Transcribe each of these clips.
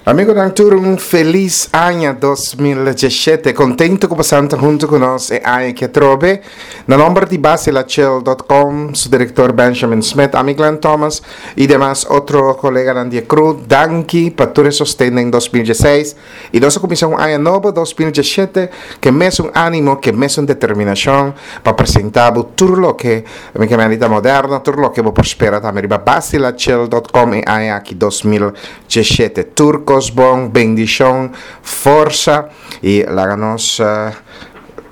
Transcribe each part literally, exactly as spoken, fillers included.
Amigonan, tur un felis aña dos mil diesshete. Kontentu ku boso ta huntu ku nos e aña aki atrobe. Na nòmber di Basilachel punto com, su direktor Benjamin Smith, ami Glenn Thomas i demas otro koleganan di e crew, danki pa tur e sosten den dos mil diesseis. I nos a kuminsá un aña nobo, dos mil diesshete, ku e mesun ánimo, ku e mesun determinashon pa presentá bo tur loke mi ke mende ta moderno, tur loke bo por spera tambe riba Basilachel punto com e aña aki dos mil diesshete. Tur kos bon, bendishon, forsa i laga nos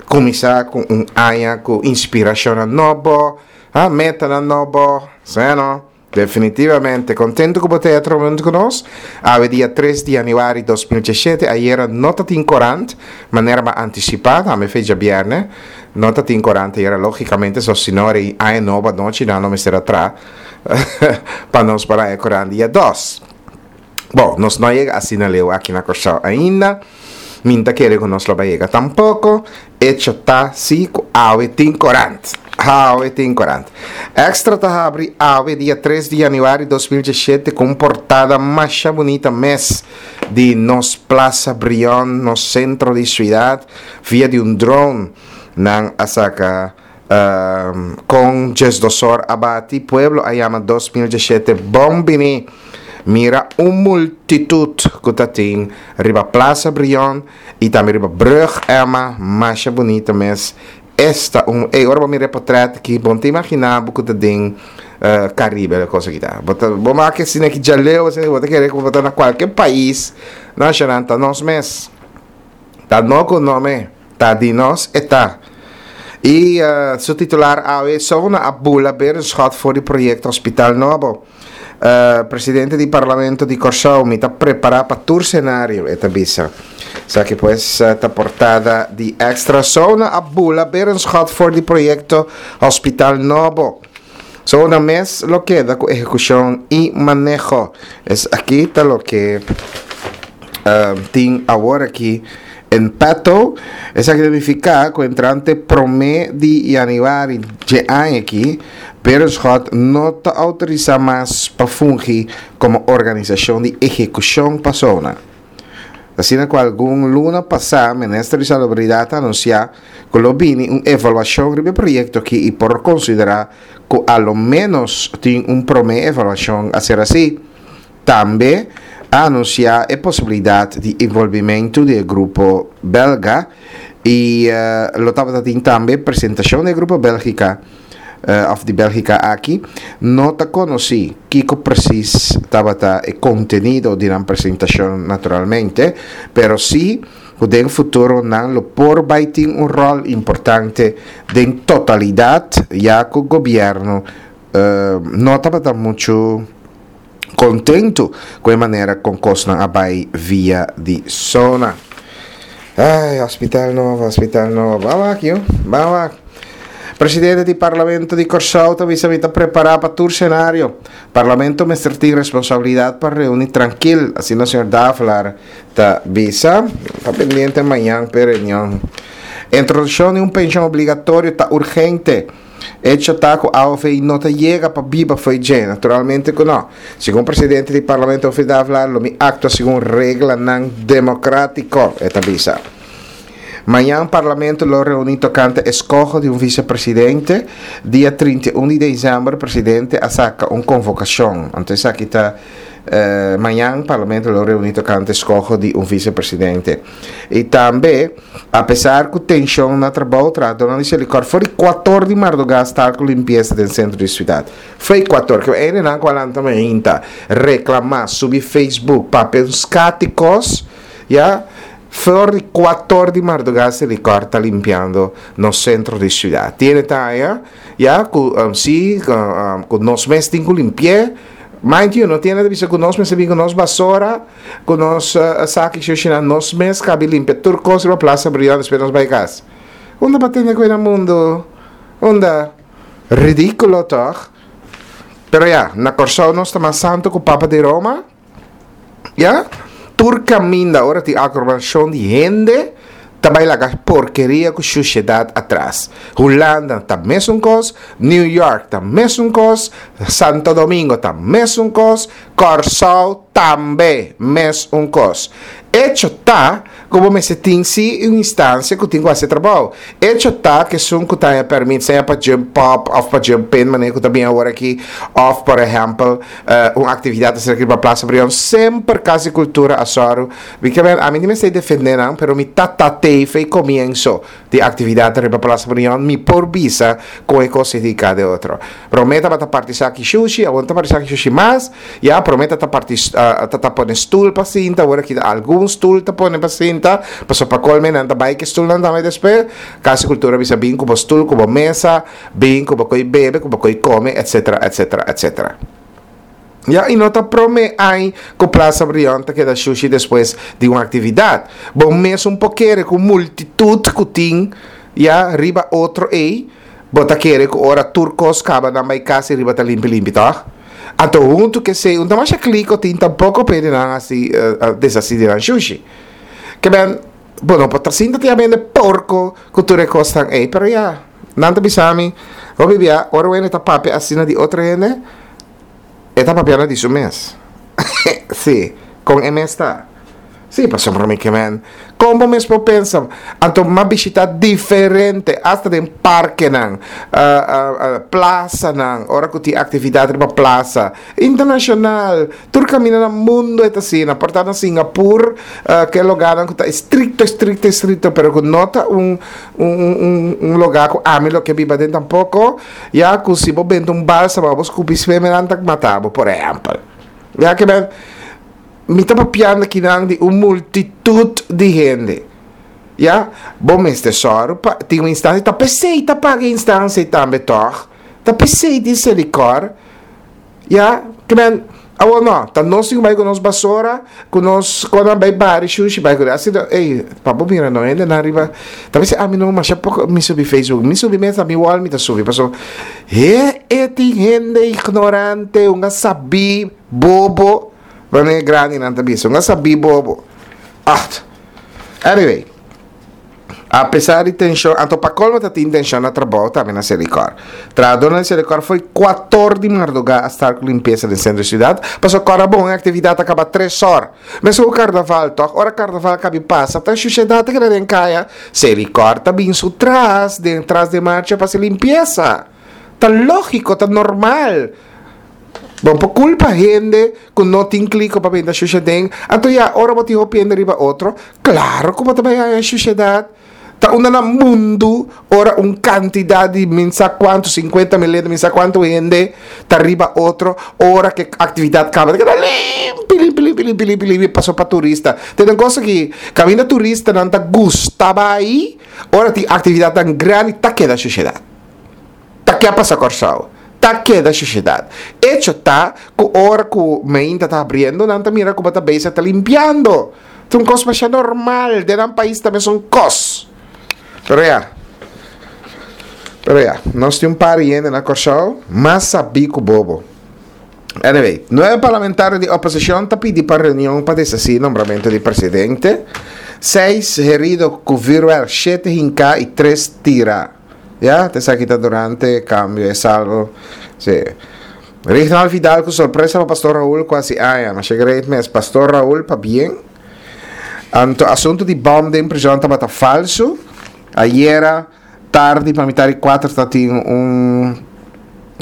kuminsá ku un aña ku inspirashonnan nobo, ha, metanan nobo, seno. Definitivamente kontentu ku bo ta atrobe huntu ku nos. Awe dia tres di yanüari dos mil diesshete, ayera no ta tin korant, manera bo a antisipá, tambe fecha bièrnè, no ta tin korant ayera, lógikamente, so si no rei aña nobo anochi nan lo mester a tra pa nos por haña korant dia dos. Bon, nos no a yega asina leu aki na Kòrsou ainda. Mi ta kere ku nos lo bai yega tampoko. Echo ta si ku awe tin korant. Awe tin korant. Extra ta habri awe dia tres di yanüari dos mil diesshete ku un portada masha bunita mes di nos Plaza Brion, nos sentro di siudat, via di un drone nan a saka kon diesdosor a bati. Pueblo a yama dos mil diesshete bon bini. Mira un multitut ku ta tin riba Plaza Brion i tambe riba Brug Emma, masha bunita mes. Esta un, ey, ora bo mira e potret aki, bo no ta imaginá bo ku ta den Caribe e kos aki ta. Bo ta, bo make asina aki djaleu, asina bo ta kere ku bo ta na kualke pais nashonan, ta nos mes. Ta no ku nome, ta di nos e ta. I su titular awe, Sona a bula Berenschot for di proyekto Hospital Nobo. Presidente di Parlamento di Kòrsou, mi ta prepará pa tur senario, e ta bisa. Esaki pues ta portada di Extra. Sona a bula Berenschot for di proyekto Hospital Nobo. Sona mes lo keda ku ehekushon i maneho. Esaki ta loke tin awor aki en petto. Esaki ta nifiká ku entrante promé di yanüari dje aña aki, Berenschot no ta outorisá mas pa fungi komo organisashon di ehekushon pa Sona. Asina ku algun luna pasá Minister di Salubridat a anunsiá ku lo bini un evaluashon riba e proyekto aki i por konsiderá ku a lo ménos tin un promé evaluashon a ser hasí. Tambe a anunsiá e posibilidat di envolvimentu di e grupo belga i lo tabata tin tambe presentashon di e grupo Bélgika òf di Bélgika aki. No ta konosí kiko presis tabata e kontenido di nan presentashon naturalmente, pero sí ku den futuro nan lo por bai tin un ròl importante den totalidat ya ku gobièrnu no tabata muchu kontentu ku e manera kon kosnan a bai via di Sona. Ai, hospital nobo, hospital nobo. Ban wak, yu, ban wak. Presidente di Parlamento di Kòrsou ta bisa mi ta prepará pa tur senario. Parlamento mester tin responsabilidat pa reuní trankil, asina señor Davelaar ta bisa. Ta pendiente mañan p'e reunion. Introdukshon di un penshon obligatorio ta urgente. Echo ta ku A O V no ta yega pa biba fo'i dje? Naturalmente ku no. Segun presidente di Parlamento Humphrey Davelaar lo mi aktua segun reglanan demokratiko, e ta bisa. Mañan Parlamento lo reuní tokante eskoho di un visepresidente. Dia trinta i un di desèmber presidente a saka un konvokashon. Anto esaki ta mañan Parlamento lo reuní tokante eskoho di un visepresidente. I tambe, apesar ku tenshon na trabou, trahadónan di Selikor for di kuator di mardugá stal ku limpiesa den sentro di siudat. Fo'i kuator, ke hendenan ku a lanta mainta, reklamá, subi Facebook, papia un skat di kos, ya, for di kuator di mardugá Selikor ta limpiando nos sentro di siudat. Tiene ta haña, ya, ku si, ku nos mes tin ku limpi'é. Mind you, no tiene ta bisa ku nos mester bin ku nos basora, ku nos saki shushinan, nos mes kabi limpia tur kos riba Plaza Brion despues nos bai kas. Unda pa tende ku e na mundu? Unda? Ridíkulo tòg? Pero ya, na Kòrsou nos ta mas santu ku Papa di Roma. Ya? Tur kaminda ora tin aglomeracion di hende ta bai laga porkeria ku shushedat atras. Hulanda ta mesun kos, New York ta mesun kos, Santo Domingo ta mesun kos, Kòrsou Tambe mes un kos. Echo ta ku bo mester tin si un instansia ku tin ku hasi e trabou. Echo ta ku esun ku ta haña pèrmit sea pa jump up òf pa jump in manera ku ta bin awor aki òf por ehèmpel un aktividat asina riba Plaza Brion semper Kas di Kultura a sòru. Mi ke men ami no mester defendé nan pero mi ta ta tei fei komienso di aktividat riba Plaza Brion mi por bisa kon e kos signifiká den otro. Promé tabata parti saki shushi awor no ta parti saki shushi mas. Ya promé ta ta parti ta ta pone stul pa sinta awor aki algun stul ta pone pa sinta pasobra pa colme nan ta bai ku e stulnan tambe despues Cas di Cultura bisa bin ku bo stul ku bo mesa bin ku bo ko'i bebe ku bo ko'i kome etcetera etcetera etcetera Ya i no ta promé ai ku Plaza Brion ta keda shushi despues di un aktividat. Bo mesun por kere ku multitut ku tin ya riba otro ei. Bo ta kere ku ora tur kos kaba nan bai kas i riba ta limpi limpi tòg? Anto huntu ku esei un ta masha kliko tin tampoko p'e di nan hasi deshasí di nan shushi. Ke men, bo no por ta sinta tin a bende porko ku tur e kosnan ei, pero ya, nan ta bisa mi, hopi bia ora wende ta papia asina di otro hende, e ta papiando di su mes. Sí, kon e mes ta. Sí, pasobra mi ke men. Kon bo mes por pensa? Anto m'a bishita diferente, asta den parkenan, plasanan, ora ku tin aktividat riba plasa, internashonal, tur kaminda na mundu e ta asina. Por ta na Singapur, ke loganan ku ta estrikto, estrikto, estrikto, pero ku no ta un un loga ku ami lo ke biba aden tampoko, ya ku si bo benta un balsa bo skupi sfeme nan ta mata bo, por ehèmpel. Ya ke men. Mi ta papiando akinan di un multitut di hende. Ya, bo mester sòru pa tin un instansia, ta p'esei ta paga e instansia ei tambe tòg? Ta p'esei tin Selikor? Ya, ke men, awor no, ta nos tin ku bai ku nos basora, ku nos konan bai bari shushi bai ku asina, ey, pa bo mira no hendenan riba, ta p'esei ami no masha poko mi subi Facebook, mi subi mes na mi wall mi ta subi, pasobra he e tin hende ignorante, un a sabí bobo. Wanneer e grandinan ta bisa, un a sabí bobo. Acht. Anyway, a pesar di tenshon, anto pa colmo ta tin tenshon na trabou tambe na Selikor. Trahadornan di Selikor fo'i kuator di mardugá a start ku limpiesa den sentro di siudat, pasobra kòrda bon e aktividat a kaba tres òr. Meskos ku karnaval tòg, ora karnaval kabi pasa ta shushedat ta keda den kaya, Selikor ta bin su tras den tras den marcha pa hasi limpiesa. Ta lógiko, ta normal. Bo por kulpa hende ku no tin kliko pa benta shushaden, anto ya ora bo tin hopi hende riba otro, klaro ku bo ta bai haña shushedat. Ta unda na mundu ora un kantidat di min sa kuantu, sinkuenta mil hende, min sa kuantu hende ta riba otro, ora ku e aktividat kaba ta keda limpi, limpi, limpi, limpi, limpi, limpi, paso pa turista. Tene un kos aki, kaminda turistanan ta gusta bai, ora tin aktividatnan grandi ta keda shushedat. Ta ke a pasa Kòrsou? Ta keda shushedat. Echo ta ku ora ku meinta ta habriendo nan ta mira ku bo ta bezig ta limpiando. Ta un kos masha normal, den nan pais ta mesun kos. Pero ya, pero ya, nos tin un par di hende na Kòrsou mas sabí ku bobo. Anyway, nuebe parlamentario di oposicion ta pidi pa reunion pa deshaci nombramento di presidente. Seis herido cu vuurwerk, shete hinca y tres tira. Ya, ta esaki ta durante cambio e salvo. Sí. Rignald Vidal cu sorpresa pa Pastor Raul cu haci aña. Masha great mes. Pastor Raul, pabien. Anto asunto di bom den prison tabata falso. Ayera tardi pa mitad di cuater ta tin un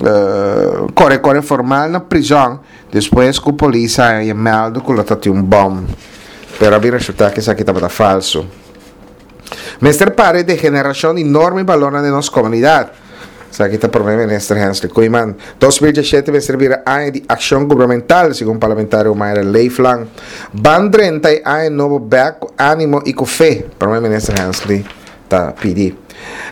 uh, core core formal na prison despues cu polis a haña meldo cu lo ta tin un bom. Pero a bin resulta cu esaki tabata falso. Mester para e degeneracion di norma y balornan den nos comunidad. Esaki ta Prome Minister Hensley Koeiman. Dos mil diesshete mester bira aña di accion gubernamental, segun Parlamentario Mayra Leeflang. Ban drenta e aña nobo bek cu animo y cu fe, Prome Minister Hensley ta pidi.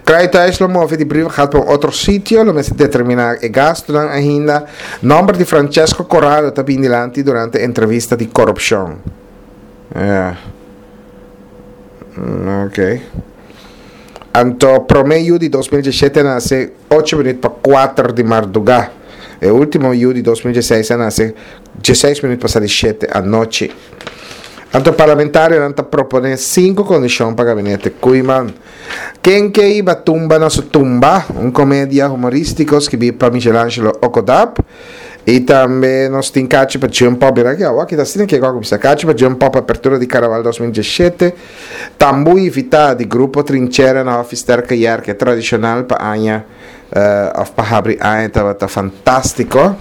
Kruithuis lo move di Brievengat pa un otro sitio, lo mester determina e gastunan ainda. Nomber di Francesco Corrado ta bin dilanti durante entrevista di corupcion. Ja. Ok. Anto prome yu di dos mil diesshete a nase ocho minuut pa kuater di mardugá. E ultimo yu di dos mil diesseis a nase diesseis minuut pasa di shete anochi. Anto parlamentarionan ta propone sinku kondishon pa gabinete Koeiman. Ken ke iba tumba na su tumba? Un komedia humoristiko skibí pa Michelangelo Okodap. I tambe nos tin kachi pa Jump Up. Mira aki, awor aki ta asina ku a kuminsá. Kachi pa Jump Up, apertura di Karnaval dos mil diesshete. Tambú invitá di Grupo Trinchera na Hòfi Sterke Yerke tradishonal pa aña òf pa habri aña tabata fantástiko.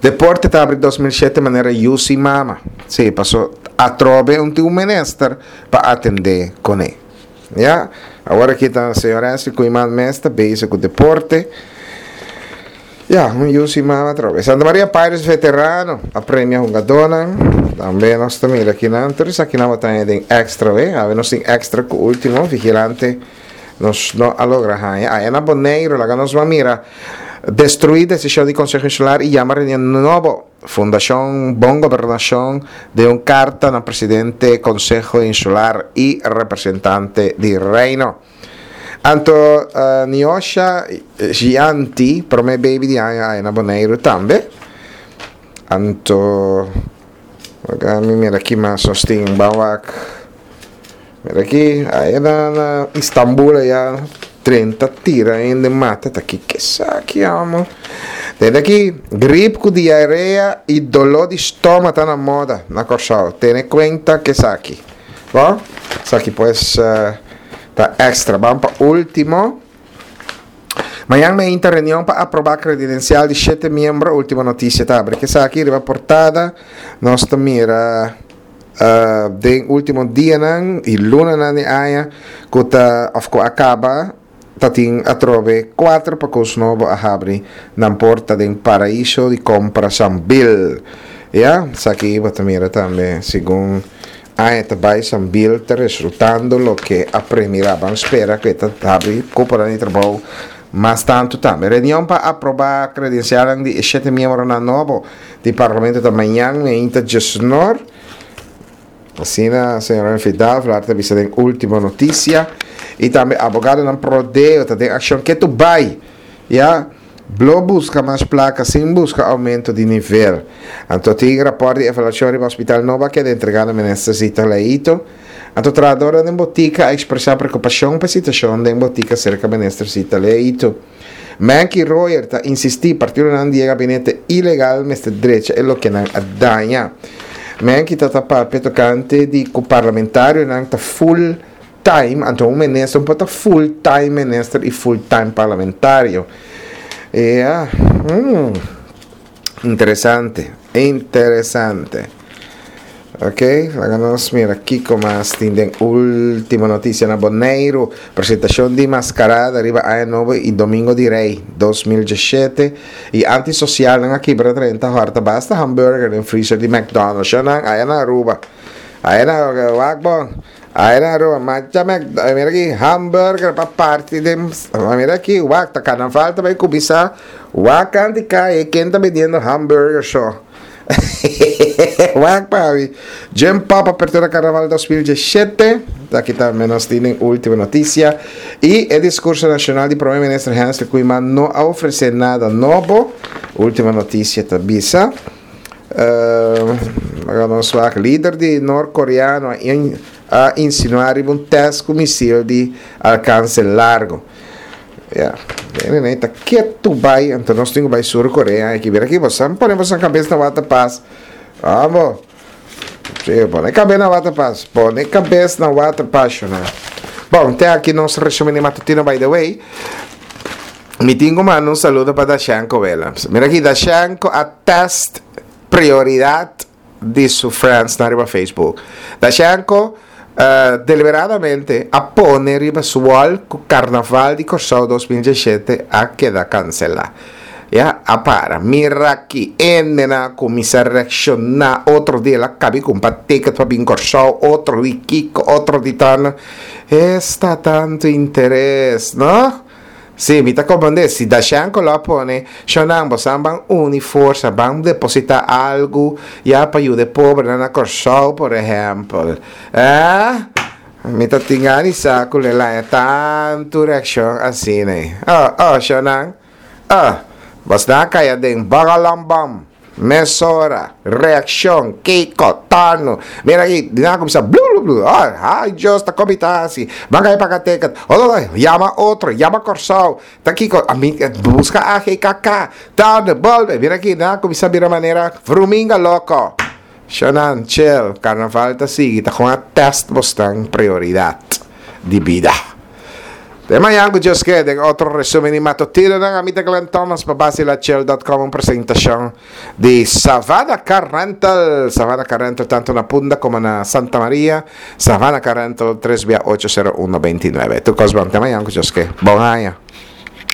Deporte ta habri dos mil shete manera yu sin mama. Sí, paso atrobe un tin un minister pa atendé kuné. Ya, awor aki ta señor Hensley Koeiman mes ta bezig ku deporte. Ya, un yu sin mama atrobe. Santa Maria Pirates veterano a premia hungadónan. Tambe nos ta mira akinan. Tur esakinan bo ta haña den extra we. Awe nos tin extra ku ultimo vigilante nos no a logra haña. Aya na Boneiru laga nos ban mira. Destruí desishon di Konseho Insular i yama reunion nobo. Fundashon Bon Gobernashon den un karta na presidente Konseho Insular i representante di Reino. Anto Niosha Gianti, promé baby di aña aya na Boneiru tambe. Anto laga mi mira ki mas nos tin. Ban wak. Mira aki, aya na na Istanbul aya trenta tira hende mata ta kiko esaki amo. Tende aki, grip ku diarea i doló di stoma ta na moda na Kòrsou. Tene kuenta ku esaki. Bo? Esaki pues ta extra. Ban pa último. Mañan meinta reunion pa aprobá kredidensial di shete miembro. Último Notisia ta abri ku esaki riba portada. Nos ta mira Den ultimo dianan y lunanan di aña cu ta of cu a caba ta tin atrobe cuater pacos nobo a habri nan porta den Paraiso di Compra Sambil. Ya, esaki bo ta mira tambe segun aña ta bay Sambil ta resultando loke a premira. Ban spera cu e ta habri cuponan di trabou mas tanto tambe. Reunion pa aproba credencialnan di e shete miembronan nobo di Parlamento ta mañan meinta djesnor. Asina señor Renfree Davelaar ta bisa den Ultimo Noticia. Y tambe abogadonan pro deo ta den accion ketu bay. Ya, blo busca mas placa sin busca aumento di nivel. Anto tin raport di evaluacion riba Hospital Nobo a keda entrega na Minister Zita Leito. Anto trahadornan den botica a expresa preocupacion pa e situacion den botica cerca Minister Zita Leito. Menky Royer ta insisti partidonan di e gabinete ilegal mester drecha e loke nan a daña. Menky ta ta papia tocante di cu parlamentarionan ta full time, anto un minister no por ta full time minister y full time parlamentario. Ya, hmm, interesante, interesante. Ok, laga nos mira kiko mas tin den Ultimo Noticia na Boneiru. Presentacion di mascarada riba Aña Nobo y Domingo di Rey dos mil diesshete y antisocialnan a kibra drenta horta basta hamburger den freezer di McDonald's. Shonan, aya na Aruba. Aya na, wak bon. Aya na Aruba, macha Mc, mira aki, hamburger pa parti den, mira aki, wak, ta carnaval ta bay cuminsa. Wak kanti caye, ken ta bendiendo hamburger so? Wak papi. Jim Pop apertura Carnaval dos mil diesshete. Aki tambe nos tin den Ultimo Noticia. Y e discurso nacional di Prome Minister Hensley Koeiman no a ofrece nada nobo. Ultimo Noticia ta bisa. Uh, nos wak lider di norcoreano a, in, a insinua riba un test cu misil di alcance largo. Ya, nee, nee, ta ketu bai, anto nos tin ku bai Sur Korea aki. Mira aki, bosan pone bosan kabes na waterpas. Amo. Sí, pone kabes na waterpas. Pone kabes na waterpas, shona. Bon, te aki nos resumen di matutino, by the way. Mi tin ku manda un saludo pa Dashanko Willems. Mira aki, Dashanko a test prioridad di su friends na riba Facebook. Dashanko deliberadamente a pone riba su wall ku Karnaval di Kòrsou dos mil diesshete a keda kanselá. Ya, a para. Mira aki, hendenan a kuminsá reakshoná, otro di el a kabi kumpra ticket pa bin Kòrsou, otro di kiko, otro di tan. Esta tantu interes, no? Sí, mi ta comprende. Si Dashanko lo a pone, Shonnan, bosan ban uni forsa, ban deposita algu ya pa yuda e pobrenan na Kòrsou, por ehèmpel. Eh? Mi ta tin gana di sa ku lo e laña tantu reakshon asina ei. Oh, oh, Shonnan. Oh, bosnan a kai aden. Bagalambam. Mesora, reakshon, kiko, tano. Mira aki, di nan a kuminsá blu blu blu. Oh, ai Dios, ta komi ta hasi. Ban kai paga ticket. Oh, oh, oh, yama otro, yama Kòrsou. Ta kiko, ami buska A G K K. Tano, bolbe. Mira aki, nan a kuminsá bira manera vruminga loko. Shonan, chill, karnaval ta sigui, ta kon a test bosnan prioridat di bida. Te mañan ku Dios ke den otro resumen di matutinonan. Ami ta Glenn Thomas pa Basilachel dot com, un presentashon di Savannah Car Rental. Savannah Car Rental tanto na Punda komo na Santa Maria. Savannah Car Rental, tres bia ocho sero uno binti nuebe. Tur kos bon. Te mañan ku Dios ke. Bon aña.